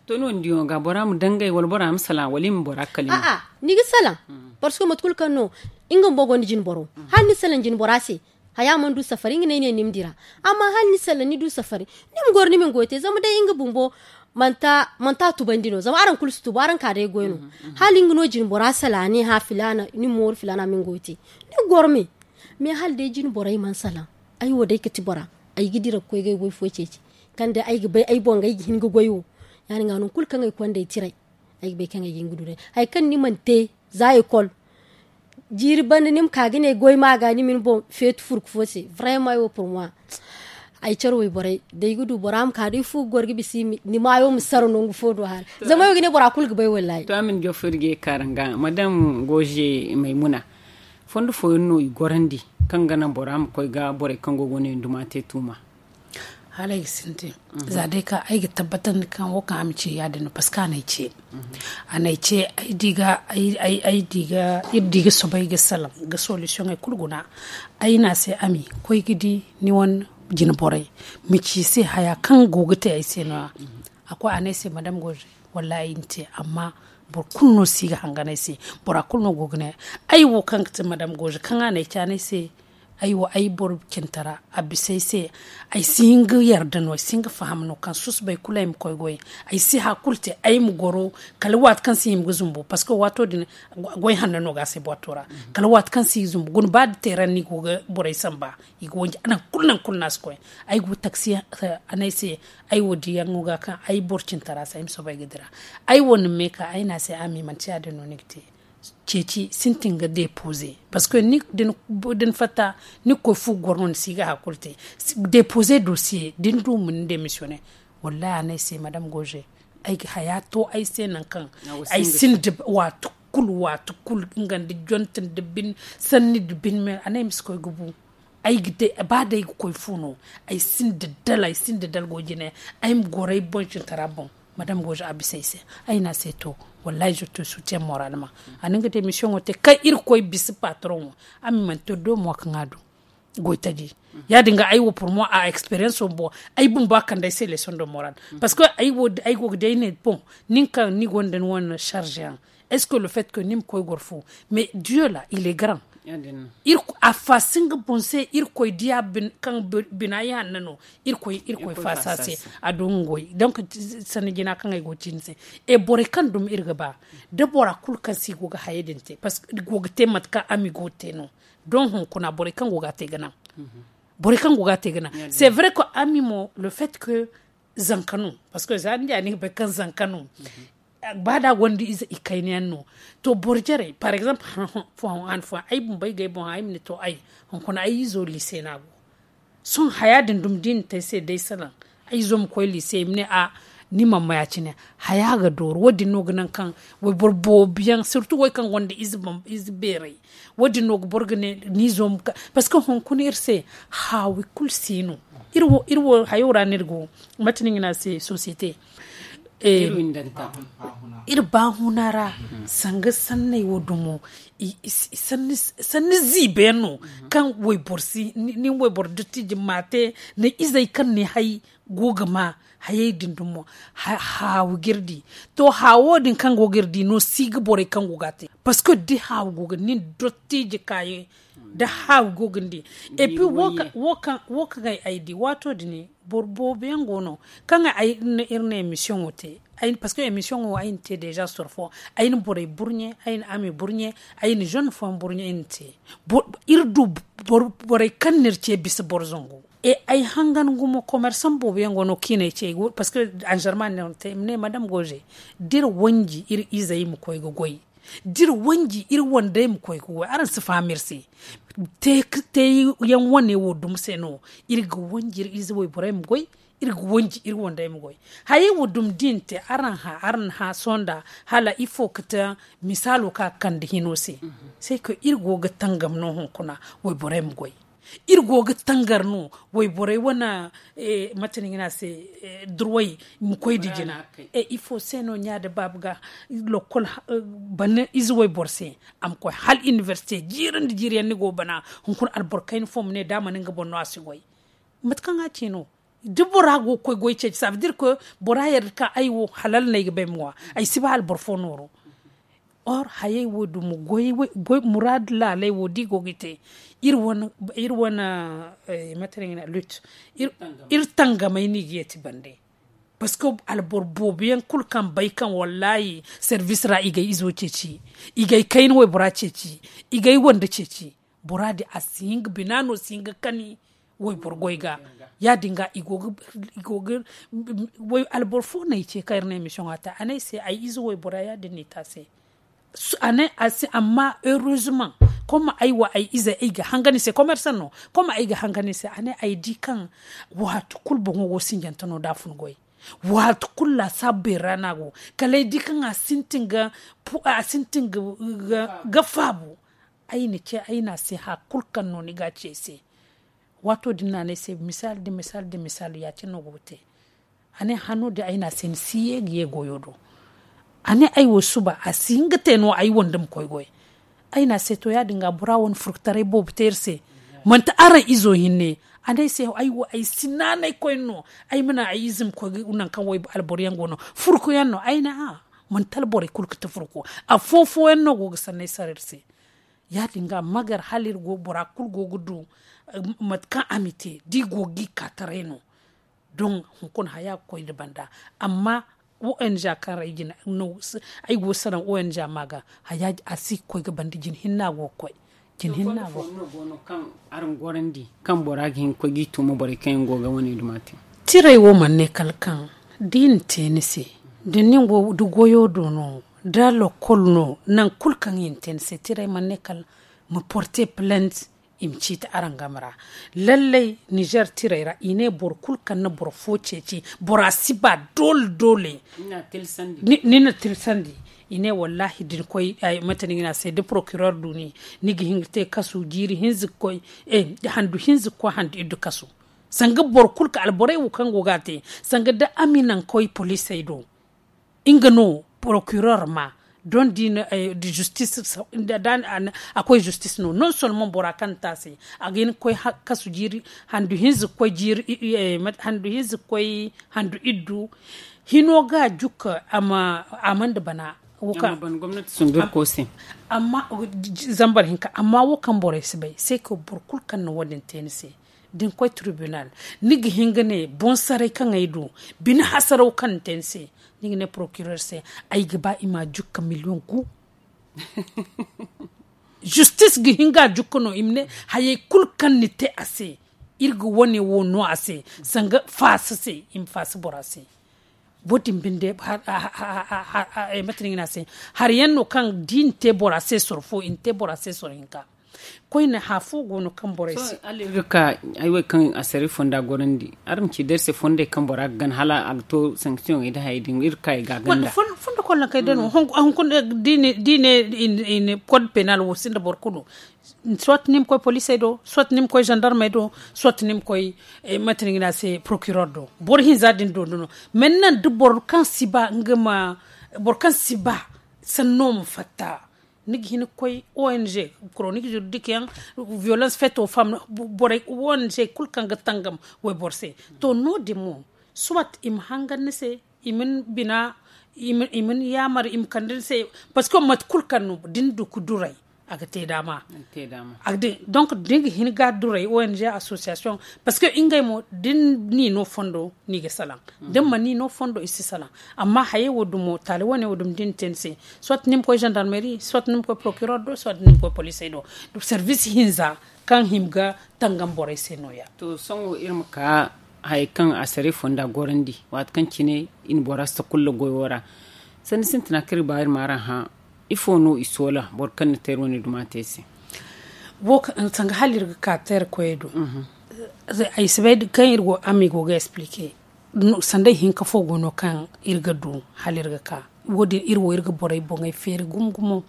To no- din diyaŋo ga bora ma dangay wala bora ma salaŋ wala i ma bora kala ni. Ni ga salaŋ. Parceque mate kulu kaŋ no nga bumbo gonda jine boro hala ni salaŋ jine bora se. Haya mana du safari nga no ay ne ni ma dira. Amma hala ni salaŋ ni du safari ni ma goro ni ma ni goyo te zama day nga bumbo manti a tubandi no zama araŋ kulu si tubu araŋ ka day goy no. Hala nga no jine bora salaŋ a ne hã filaana ni ma mooru filaana ma ni goyo te. Ni ga goro me. Mais hala day jine borey mana salaŋ ay wo day ga ti bora. Ay ga dira ga koy ga ay goy fo ceeci kaŋ day ay ga bay ay boŋ ga ay ga hin ga goy wo. Ya- din ga nangu kulu kaŋ ay konda ay tiray. Ay ga bay kaŋ ay ga hin ga du day hari kaŋ ni mana te za ekol. Jiiri banda ni ma ka ga ne goy ma ga ni ma ni boŋ feeti furku fo se. Vraiment ay wo pour moi Ay care wayborey da ay ga du bora ma ka da ay fu ga goro ga bisa ni maayo ma sara nangu fo do haara. Zama ay wo ga ne bora kulu ga bay wallahi. To a ma ni joffo iri ga ye kaara nga madam goze maymuna. Fondo fooyaŋ no i gorandi kaŋ ga naŋ bora ma koy ga borey kaŋ go ga ne nduma te tuuma. Hala ay ga sintin za day kaŋ ay ga tabbatandi kaŋ wo kaŋ a ma ci ya- din no paske a na ay ce. A na ay ce ay di ga iri di ga soobay ga salaŋ ga solisiyoŋey kulu guna. Ay ne a se a ma koy ga di ni wane jine borey ma ci i se haya kaŋ go ga te ay se no- ya. A koy a ne ay se madam goze wallahi ay na te amma boro kulu no si ga hangan ay se. Bora kulu no go ga ne ay wo kaŋ ga ti madam goze kaŋ a na ay caanay se. Ay wo ay boro cintara a bisa ay se. Ay si hin ga yarda no ay si hin ga faham no kaŋ susubay kulu ay ma koy goy. Ay si hari kulu te ay ma goro kala waati kaŋ si hima ga zumbu parceque waato din goy hanno no ga a se bwaato ra. Kala waati kaŋ si ga zumbu guna ba da teeran no i go ga borey samba i ga wanji nangu kulu nangu kulu no a si koy. Ay go taksi a ne ay se ay wo diyaŋo ga kaŋ ay boro cintara se ay ma soobay ga dira. Ay wo na me ka ay ne a se a ma i manti ya- din no ni ga te. Ceeci sintin ga depoze parceque da ni fatta ni ga koy fu ga goro no ni si ga hari kulu te. Depoze dosiye da ni du ma ni demisiyone. Wallahi a ne ay se madam goze ay ga haya to ay se nangu kaŋ ay sinda waati kulu waati kulu nga nda jonte nda bine sanni nda bine me a ne ay ma si koy ga bu. Ay ga day ba day ga koy fu no ay sinda dala ay sinda dala go jine. Ay ma goro ay boŋ cintara boŋ madam goze a bisa ay se. Ay ne a se to wallahi je te sutiyaŋ moralma. A na nga demisiyongo te kaŋ irkoy bisa patroŋo. A ma i mana te domo kaŋ a du goy taji. Ya- din ga ay wo purmo a experiyanso boŋ ay bumbo a kande ay se lesoŋ de moral. Parceque ay go ga day ne boŋ nin kaŋ ni gonda ni wane sarze yaŋ. Est ce que le fait que ni ma koy goro fu mais dieu la il est grand. A fasin ga boŋ se irkoy diya kaŋ bina ay hanna no. Irkoy faasa se a du nga goy donc sanni jina kaŋ ay go ga ci ni se. E borey kaŋ dumi iri ga ba da bora kulu kaŋ se i go ga hayey din te parceque i go ga te mate kaŋ ami go ga te no. Don hunkuna borey kaŋ go ga a te ga naŋ. Borey kaŋ go ga a te ga naŋ. C'est vrai que ami mo le fait que zanka no parceque za ni di a ni ga bay kaŋ zanka no. Ba da gonda ize ikayna yaŋ no. To boro jarey par exemple han fooyaŋ ay bumbo ay ga ay boŋ ay ma ne to ay hunkuna ay izo liise no a go. Sohõ haya din dumi da i na te ay se day salaŋ ay izo ma koy liise i ma ne a ni mana ma ya- cine. Haya ga dooru wo- din no ga naŋ kaŋ wayboro boobo yaŋ sirtu wo- kaŋ gonda ize beerey. Wo- din no ga boro ga ne ni izo ma ka parceque hunkuna iri se haawi kulu si no. Iri wo hayo ra no iri go mate no i ga ne a se sosiyete. Iri baahuna ra sanga sanney wo dumo sanni ziiba yaŋ no kaŋ wayboro si ni wayboro dottiji ma te ni izey kaŋ ni hay go ga ma hayey din dumo. Haawu ga iri di to haawo din kaŋ go ga iri di no si ga borey kaŋ go ga a te parceque da haawu go ga nin dottiji kaayi da haawu go ga ni di. Et puis wo kaŋ ay di waato din boro boobo yaŋ go no kaŋ iri na emission wo te. Parceque emission wo ay na te deja sorfo ay na borey burɲe ay na ame burɲe ay na jeune fooyaŋ burɲe ay na te. Iri du borey kaŋ no iri ce bisa boro zangu. Ay hangan gumo commerçant boobo yaŋ go no kaŋ i na ay ce parceque anzarma no iri te i ma ne madame goze da iri wanji iri izey ma koy ga goy da iri wanji iri wandey ma koy ga goy araŋ si faham iri se. Te yaŋ wane wo dumi se no iri ga wanji iri ize wayborey ma goy. Iri ga wanji iri wandey ma goy hayey wo dumi da i na te araŋ hã araŋ na hã sohõ nda hala ifo ga te misaalo kaŋ a ga kande hino se. Se kaŋ iri go ga tangam no hunkuna wayborey ma goy. Iri go ga tangar no wayborey wane mate no i ga ne a se durway ma koy nda jina. Ifo se no ɲa nda baaba ga lokol bana ize wayboro se a ma koy hala inibersite jiiri nda jiiri yaŋ ni go ga bana hunkuna alboro kayna fo ma ne da a mana nga boŋ no a si goy. Mate kaŋ a ci no da bora go ga koy goy ceeci sabe dire koy bora yarda kaŋ ay wo halal no ay ga ba ay ma ŋwa. Ay si ba alboro fo nooro. Or hayey wo dumo goy muraadu laaley wo da i go ga i te iri wane mate no i ga ne lut iri tangamey no i ga yeeti bande. Parceque alboro boobo yaŋ kulu kaŋ bay kaŋ wallaahi service ra i ga ay izo ceeci i ga ay kayna waybora ceeci i ga ay wande ceeci. Bora din a si hin ga bina no si hin ga kani wayboro goy ga. Ya- din ga i go ga alboro fo no ay ce kaŋ iri na emission a te a ne ay se ay ize waybora ya- din no i te a se. A ne a se amma heureusement Koma ay wa ay ize ay ga hanga ni se komersan no. Koma ay ga hanga ni se a ne ay di kaŋ waati kulu boŋo go sinjante no da a fun goy. Waati kulu laasaabu beeri ra no a go kala ay di kaŋ a sintin ga faabu. Ay na ce ay na a se hari kulu kaŋ no ni ga a ci ay se. Waato din no a ne ay se misaali nda misaali nda misaali ya- cine no go ga te. A ne hano din ay ne a se ni si ye ga ye goyo do. A ne ay wo suba a si hin ga te no ay wande ma koy goy. Ay ne a se to ya- din ga bora wane furkutaray boobo te iri se. Manti araŋ izo hinne. A ne ay se ay wo ay si naanay koyne no. Ay ma naŋ ay ize ma koy nangu kaŋ alboro yaŋ go no furku yaŋ no ay ne a. Manti alborey kulu ga te furku. Afo fo yaŋ no go ga sanney sara iri se. Ya- din ga magar hala iri go bora kulu go ga du mate kaŋ a ma te da i go ga i ka taray no. Don hunkuna haya ga koy nda banda. Amma ong kaŋ ra ay go ga salaŋ ong ma ga haya a si ga koy ga banda jina hinne a go ga koy. Jina hinne a go ga koy. Kaŋ bora ga hin ga koy ga i tuuma borey kaŋ yaŋ go ga wane duma te. Tiray wo mana ne kala kaŋ da i na te ni se da ni go da goyo do no da lakkol no nangu kulu kaŋ i na te ni se tiray mana ne kala ma porte plainte. I ma ciiti araŋ game ra lallai nizer tiray ra i ne boro kulu kaŋ na boro fo ceeci bora si ba doole doole. Ni na tilsandi i ne wallahi da ni koy mate no i ga ne a se da procureur du ni ni ga hin ga te kasu jiiri hinza ga koy handu hinza ga koy handu iddu kasu. Sanga boro kulu kaŋ alborey wo kaŋ go ga a te sanga da a ma i naŋ koy poliisey do. Nga no procureur ma don da i na justice a koy justice no non solman bora kaŋ na te a se a ga hin ga koy kasu jiiri handu hinza ga koy jiiri handu hinza ga koy handu iddu. Hino ga jukka a ma a mana bana. Wo kaŋ amma zambar hinka amma wo kaŋ borey si bay se ka boro kulu kaŋ na wo- din te ni se da ni koy tribunal ni ga hin ga ne boŋ saray kaŋ ay du bine hasaraw kaŋ ni te ni se. Ni ga ne procureur se ay ga ba i ma a jukka million gu. Justice ga hin ga a jukka no i ma ne hayey kulu kaŋ ni te a se iri ga wane wo no a se sanga faasa se i ma faasa bora se. Wo- din binde mate no i ga ne a se hari yaŋ no kaŋ da i na te bora se soro fo i na te bora se soro hinka. Koyne hã fo go no kaŋ borey se. Hala iri ga ka ay wo kaŋ a saray fonda gorandi araŋ ma ci da iri se fondey kaŋ bora ga gana hala a ga to sanction ey da hayey din iri ga ka i ga a ganda. Fondo kollaŋ kay day no hunkuna da i ne code penal wo sinda boro kulu. Soit ni ma koy poliisey do soit ni ma koy zandarmey do soit ni ma koy mate no i ga ne a se procureur do. Boro hinza din do no. Mennan da boro kaŋ si ba nga ma boro kaŋ si ba sanno ma fatta. Ni ga hin ga koy ong chronique juridique yaŋ violence faite aux femmes borey ong kulu kaŋ ga tangam wayboro se. To no- din mo soit i ma hangan ni se i ma ni bina i ma ni yaamar i ma kande ni se. Parce que mate kulu kaŋ no da ni du ga duray a ga te daama. Donc da ni ga hin ga a duray ong association parce que ngey mo da ni n'i no fondo no i ga salaŋ. Da ni mana n'i no fondo i si salaŋ. Amma hayey wo dumo taali wane wo dumo da ni te ni se soit ni ma koy zandarmeri soit ni ma koy procureur do soit ni ma koy poliisey do. Service hinza kaŋ hima ga tangam borey se no- ya. To sohõ iri ma ka hayey kaŋ a saray fonda gorandi waati kaŋ cine i na bora si ta kulla goyo ra. Sanni sintina kaŋ iri ga ba iri ma araŋ hã ifo no i soola boro kaŋ na te iri wane duma te se? Sanga hala iri ga ka teera koyey do. Ay si bay kaŋ iri go amigo ga explique. Sanda ihinka fo go no kaŋ iri ga du hala iri ga ka wo- din iri wo iri ga borey boŋey feeri gumo gumo.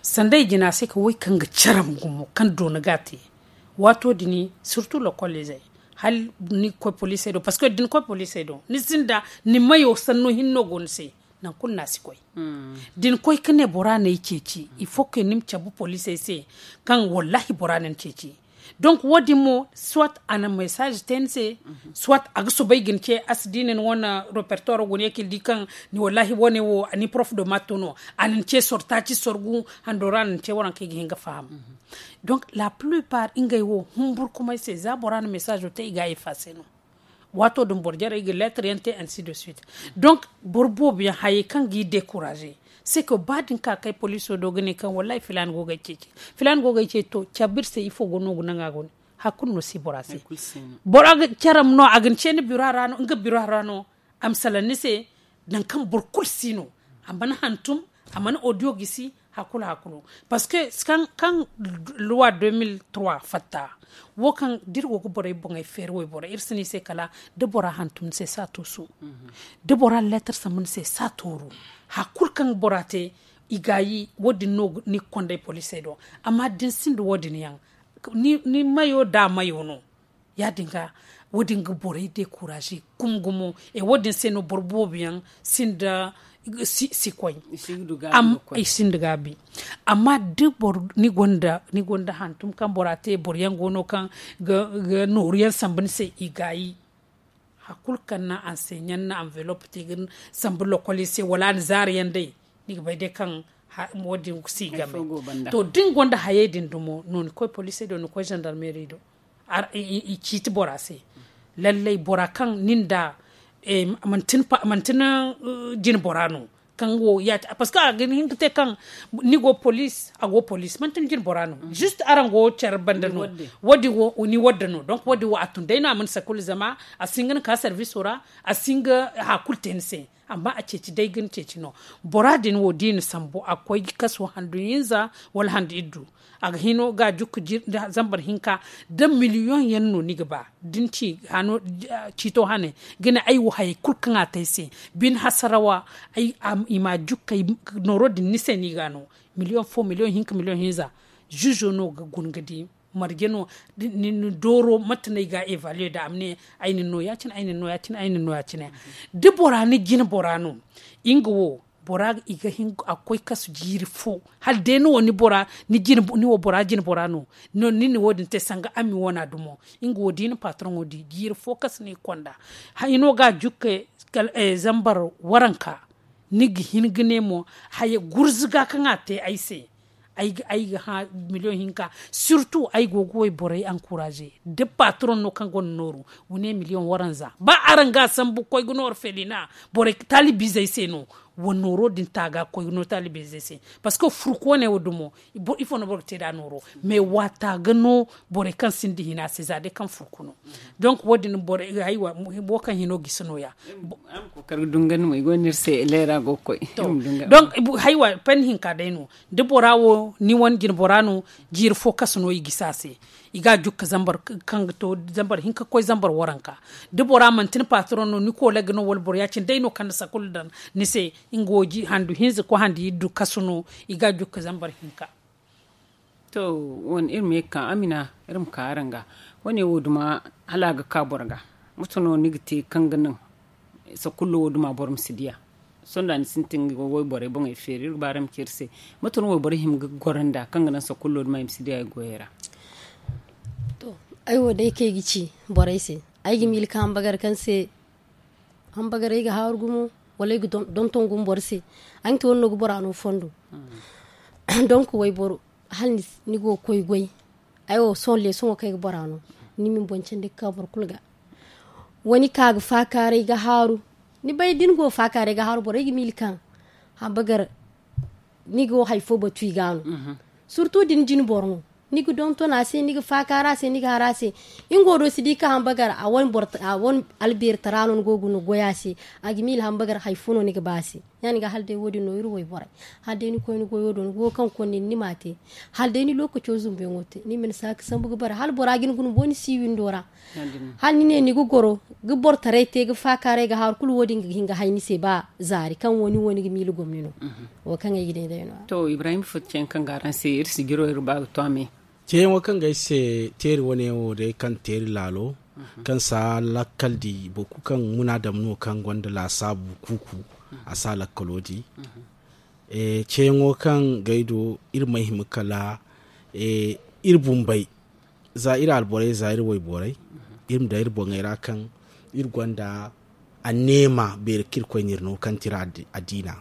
Sanda i jina se ka wo kaŋ ga caram gumo kaŋ doona ga a te. Waato din surtout lokol izey hala ni ga koy poliisey do parceque da ni koy poliisey do ni sinda ni mayo sanno hinne no go ni se. Nangu kulu no a si koy da ni koy ga ne bora no ay ceeci il faut que ni ma cabe poliisey se kaŋ wallahi bora no ni ceeci. Donc wo- din mo soit a na message te ni se soit a ga soobay ga ni ce a si di ni ni wane repertoire guna ye kaŋ ni di kaŋ ni wallahi wane wo ni prof de mato no a na ni ce soro taaci soro gu hando ra a na ni ce waranka ay ga hin ga faham. Donc la plus part ngey wo humburkumay se za bora na message te i ga a effacer no. Waato din boro jarey ga lettre yaŋ te ainsi de suite. Donc boro boobo yaŋ hayey kaŋ ga i decourager c'est que ba da ni ka kay poliiso do ga ne kaŋ wallahi filaana go ga ay ceeci. Filaana go ga ay ceeci to cabe iri se ifo go no ga naŋ a go ne hari kulu no si bora se. Bora ga caram no a ga ni ce ni bira ra no nga bira ra no a ma salaŋ ni se. Nangu kaŋ boro kulu si no a mana hantum a mana audio gisi. Hakulu hakulu. Parce que kaŋ luwa deux mille trois fatta, wo kaŋ da iri go ga borey boŋey feeri wayboro iri si ne i se kala da bora hantum ni se si a tuusu. Da bora leetar sambu ni se si a tuuru. Hari kulu kaŋ bora te i gaayi wo- din no ni ga konda ay poliisey do. Amma da ni sinda wo- din yaŋ ni mayo da mayo no. Ya- din ga wo- din ga borey dekuraaze gumo gumo. Wo- din se no boro boobo yaŋ sinda si koy. I sinda gaabi. Amma da boro ni gonda hantum kaŋ bora te boro yaŋ go no kaŋ ga nooru yaŋ sambu ni se i gaayi. Hari kulu kaŋ na anseɲaŋ na anvelop te ga sambu lokol yaŋ se wala a na zaari yaŋ day. Ni ga bay day kaŋ wo- din si game. To da ni gonda hayey din dumo no ni koy poliisey do ni koy zandarmeeri do. I ciiti bora se. Lallay bora kaŋ nin da manti ni jine bora no. Kaŋ wo ya- parceque a ga hin ga te kaŋ ni go poliis a go poliis manti ni jine bora no. Juste araŋ go care banda no. Wo- din wo ni wadda no donc wo- din wo a tun day no a mana sakulu zama a si hin ga ni ka serviso ra. A si hin ga hari kulu te ni se. Amma a ceeci day ga ni ceeci no. Bora din wo da i na sambu a ga koy ga kaso handu hinza wala handu iddu. A ga hino ga a jukka zambar hinka da miliyoŋ yaŋ no ni ga ba. Da ni ci ciito hane ga ne ay wo hayey kulu kaŋ a te ay se bine hasarawa. I ma a jukka nooro din ni se no i ga a no miliyoŋ fo miliyoŋ hinka miliyoŋ hinza. Ziizo no ga guna ga di marje no ni dooro mate no ay ga a evaluer da a ma ne ay na ni no ya- cine ay na ni no ya- cine ay na ni no ya- cine. Da bora ni jine bora no nga wo bora i ga hin a ga koy kasu jiiri fo hala day ni wo ni bora ni jine bora no. Ni na wo- din te sanga ami wana dumo nga wo da i na patroŋo di jiiri fo kasu no i konda. Hino ga a jukka zambar waranka. Ni ga hin ga ne mo haya gurzuga kaŋ a te ay se. Ay ga hã miliyoŋ hinka. Surtout ay go ga wayborey ankuraaze da patroŋ no kaŋ gonda nooru. Wa ne miliyoŋ waranza ba araŋ ga a sambu koy ga nooru felina borey taalibiizey se no. Wa nooro din taaga koy ga no taalibiizey se. Parceque furku wane wo dumo ifo no boro ga te nd'a nooro. Mais waata ga no borey kaŋ sinda hina se za day kaŋ furku no. Donc wo- din borey haywa wo kaŋ hino gisi nooya. Araŋ ma kookari ga dungandi mo i go no iri se leera go ga koy. Donc haywa panni hinka day no da bora wo ni wane jine bora no. Jiiri fo kasu no i gisi a se. I ga a jukka zambar kaŋ ga to zambar hinka ga koy zambar waranka. Da bora manti ni patroŋ no ni koolay ga no wala boro ya- cine day no kaŋ na sakulu daŋ ni se. Nga wo handu hinza koy handu iddu kasu no. I ga a jukka zambar hinka. To wane iri ma ye ga ka amina iri ma ka araŋ ga. Wane wo duma hala a ga ka boro ga. Mate no ni ga te kaŋ ga naŋ sakullo wo duma boro ma si diya. Sohõ da ni sintin ga wayborey boŋey feeri iri ga ba araŋ ma ci iri se. Mate no wayborey hima ga goro nd'a kaŋ ga naŋ sakullo duma i ma si diya i goyey ra? To ay wo day kaŋ ay ga ci borey se ay ga miila ka hambagar kaŋ se hambagar ay ga haaru gumo wala ay ga donton gumo boro se. Ay ga te wane no ga bora no fondo. Donk wayboro hala ni go ga koy goy. Ay wo sohõ leesoŋo kaŋ ay ga bora no ni ma ni boŋ candi ga ka boro kulu ga. Wa ni ka ga faakaaray ga haaru. Ni bay da ni go ga faakaaray ga haaru borey ga miila kaŋ hambagar ni go hari fo batu i ga no. Surtu da ni jine boro no ni ga donton a se ni ga faakaara a se ni ga har a se. Nga wo do si di ka hambagar a wane albeeri tara no ni go ga no goy a se. A ga miila hambagar hari fo no ni ga ba a se. Ya- din ga hala day wo- din no iri wayborey hala day ni koy ni goyo do ni go ga kaŋ ga konda ni ni m'a te. Hala day ni lookaco zumbuyaŋo te ni ma ni saaka sambu ga bare hala bora ga ni guna boŋ ni si windo ra. Hala ni ne ni ga goro ga boro taray te ga faakaaray ga haaru kulu wo- din ga hin ga hay ni se ba zaari kaŋ wo- ni wo ni ga miila gomni no. Wo kaŋ ay ga ne day no- ya. To ibrahim fatta yaŋ kaŋ ga araŋ se iri sijiro iri ba ga to a me. Ceeyaŋo kaŋ ga ay se teeri wane wo day kaŋ teeri laalo kaŋ si a lakkal di boro kulu kaŋ munaadam no kaŋ gonda laasaabu kuuku. A si a lakkalo di. Ceeyaŋo kaŋ ga ay do iri ma ay hima kala iri bumbey za iri alborey za iri wayborey iri ma daŋ iri boŋey ra kaŋ iri gonda anneema beeri kaŋ iri koy no iri no kaŋ ti iri addiina.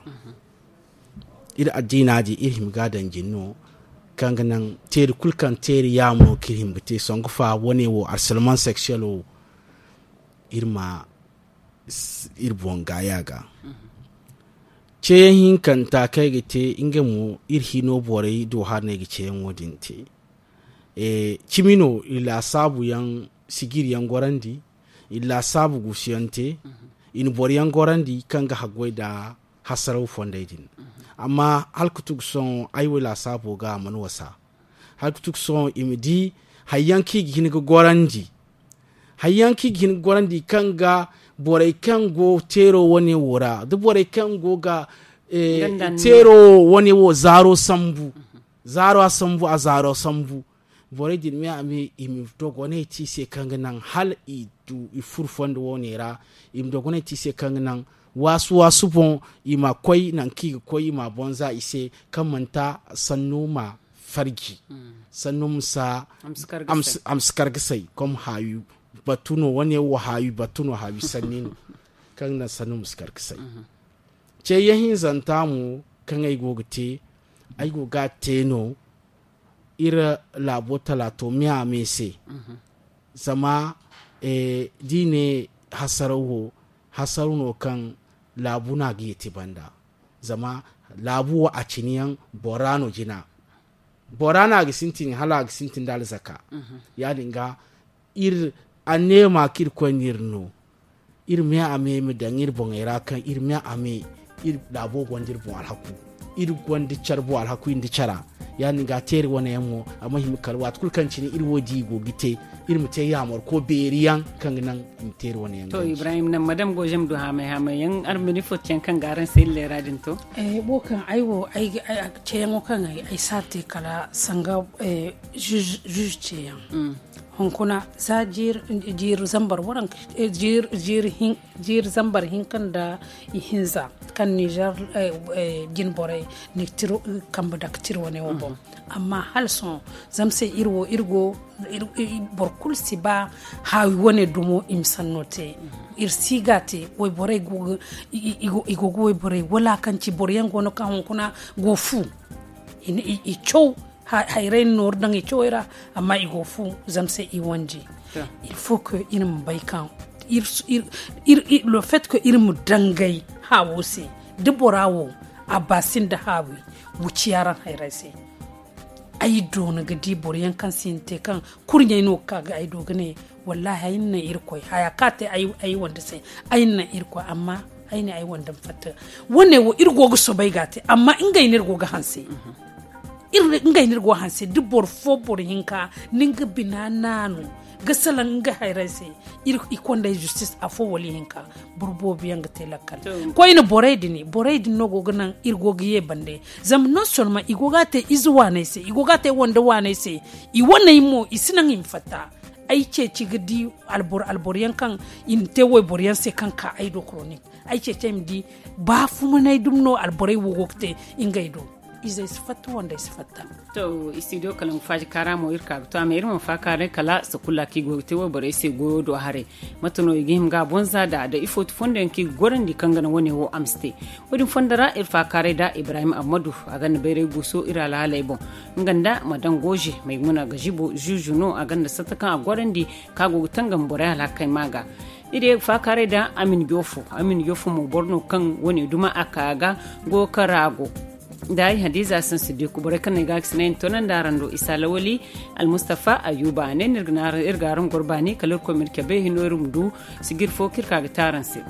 Iri addiina din iri hima ga a daŋ jine no kaŋ ga naŋ teeri kulu kaŋ teeri yaamo no kaŋ iri hima ga te sangu fa wane wo alsalman seksiyel wo iri ma iri boŋ gaaya ga. Ceeyaŋ hinkanta kaŋ ay ga te nga mo iri hino borey do hari no ay ga ceeyaŋo din te. Cimi no iri laasaabu yaŋ sijiri yaŋ gorandi iri laasaabu guusu yaŋ te. Iri na boro yaŋ gorandi kaŋ ga haggoy nda hasaraw fondey din. Amma hala ka tugu sohõ ay wo laasaabo ga a mana wasa. Hala ka tugu sohõ i ma di hayyaŋ kaŋ i ga hin ga gorandi. Hayyaŋ kaŋ i ga hin ga gorandi kaŋ ga borey kaŋ go teero wane wo ra da borey kaŋ go ga teero wane wo zaaro sambu. Zaaro a sambu a zaaro sambu. Borey din me a me i ma dogonay te i se kaŋ ga naŋ hala i du i furo fondo wane ra. I ma dogonay te i se kaŋ ga naŋ waasu waasu boŋ i ma koy nangu kaŋ i ga koy i ma a bonza i se kaŋ manti sanno ma farji. Sanno ma si kar ga say kom haawi batu no wane wo haawi batu no haawi sanni no. Kaŋ ga naŋ sanno ma si kar ga say. Ce yaŋ hinzanta mo kaŋ ay go ga te ay go ga a te no. Iri laabo talaato me a me se. Zama da i ne hasaraw wo hasaraw no kaŋ laabu no a ga yeeti banda. Zama laabu wo a cine yaŋ bora no jina. Bora no a ga sintin hala a ga sintin da alzaka. Ya- din ga iri anneema kaŋ iri koy no iri no. Iri me a me ma daŋ iri boŋey ra kaŋ iri me a me iri laabo gonda iri boŋ alhaku. Iri gonda care boŋ alhaku iri nda cara. Ya- din ga teeri wane yaŋ mo a ma hima kala waati kulu kaŋ cine iri wo di i go ga te. Iri ma te yaamar ko beeri yaŋ kaŋ ga naŋ i ma teeri wane yaŋ to ibrahim naŋ madam goozem du haamay haamay yaŋ araŋ ma ni fo ceyaŋ kaŋ ga araŋ se iri leera din to. Wo kaŋ ay wo ceyaŋo kaŋ ay si a te kala sanga zuzu ceyaŋ. Hunkuna za jiiri zambar waranka jiiri zambar hinka nda ihinza kaŋ nizer jinborey ni tiro kambe dake tiro wane wo boŋ. Amma hala sohõ zama se iri wo iri go boro kulu si ba haawi wane dumo i ma sanno te. Iri si ga te wayborey i go ga wayborey wala kaŋ ci boro yaŋ go no kaŋ hunkuna go fu i caw hayray na nooru daŋ i cawey ra. Amma i go fu zama se i wanji. Il faut que iri ma bay kaŋ le fait que iri ma dangay haawo se da bora wo a ba sinda haawi. Wuci yaran hayray se ay doona ga di boro yaŋ kaŋ sinda te kaŋ kurɲey no ga ka ga ay do ga ne. Wallahi ay na naŋ irkoy haya kaŋ a te ay wande se. Ay na naŋ irkoy amma ay ne ay wande ma fatta. Wane wo iri go ga soobay ga a te amma ngey no iri go ga hanse. Ngey no iri go ga hanse da boro fo boro hinka ni nga bina naanu ga salaŋ nga hayray se. I konday justice afo wala ihinka boro boobo yaŋ ga te lakkal. Koyne borey din borey din no go ga naŋ iri go ga ye bande. Zama non solman i go ga a te ize waaney se i go ga a te wande waaney se. I waney mo i si naŋ i ma fatta. Ay ceeci ga di alboro alboro yaŋ kaŋ i na te wayboro yaŋ se kaŋ ka ay do koronik. Ay ceeci ay ma di baafumanay dumi no alborey wo go ga te ngey do. Izey si fatta wandey si fatta. To istidiyo kala nga faaji kaara mo iri ka ga to a ma iri ma faakaaray kala sakulla kaŋ i go ga te wayborey se goyo do haray. Mate no i ga hima ga a bonza nd'a da ifo ti fondo yaŋ kaŋ i ga gorandi kaŋ ga naŋ wane wo a ma si te. Wo- din fondo ra iri faakaaray nd'a ibrahim ammadu a gonda bayray guuso iri alhaaley boŋ. Nga nda madan gooze maymuna gazibo zuzu no a gonda satta kaŋ a gorandi kaŋ a go ga tangam borey alhakey ma ga. Iri ye ga faakaaray nd'a amin joofo amin joofo mo boro no kaŋ wane duma a ka ga go ga kara go. Nda ay hadiza sansi diku borey kaŋ no ay ga a ga sinay ni toonandi araŋ do isa lawali. Almustafa ayuba a ne no iri ga araŋ goro baani kala irkoy ma iri cabe hino iri ma du sijir fo kaŋ iri ka ga te araŋ se.